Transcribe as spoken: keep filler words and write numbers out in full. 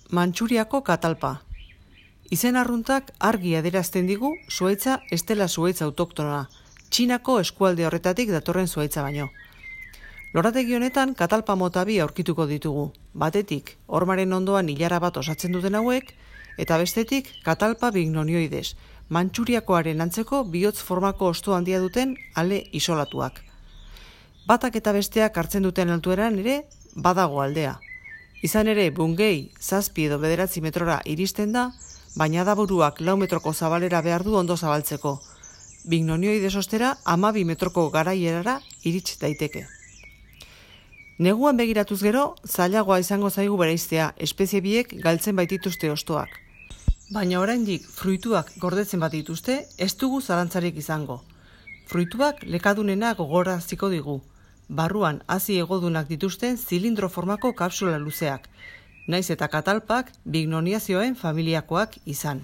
Mantxuriako katalpa. Izen arruntak argi adierazten digu zuhaitza ez dela zuhaitza autoktona, Txinako eskualde horretatik datorren zuhaitza baino. Lorategi honetan katalpa mota bi aurkituko ditugu, batetik hormaren ondoan ilara bat osatzen duten hauek, eta bestetik katalpa bignonioides, Mantxuriakoaren antzeko bihotz formako hosto handia duten ale isolatuak. Batak eta besteak hartzen duten altueran ere badago aldea. Izan ere, bungei, zazpi edo bederatzi metrora iristen da, baina adaburuak lau metroko zabalera behar du ondo zabaltzeko. Bignonioides ostera hamabi metroko garaierara irits daiteke. Neguan begiratuz gero, zailagoa izango zaigu bereiztea, espezie biek galtzen baitituzte hostoak. Baina oraindik fruituak gordetzen bat dituzte, ez dugu zalantzarik izango. Fruituak lekadunena gogoraziko digu. Barruan hazi egodunak dituzten zilindro formako kapsula luzeak, naiz eta katalpak bignoniazioen familiakoak izan.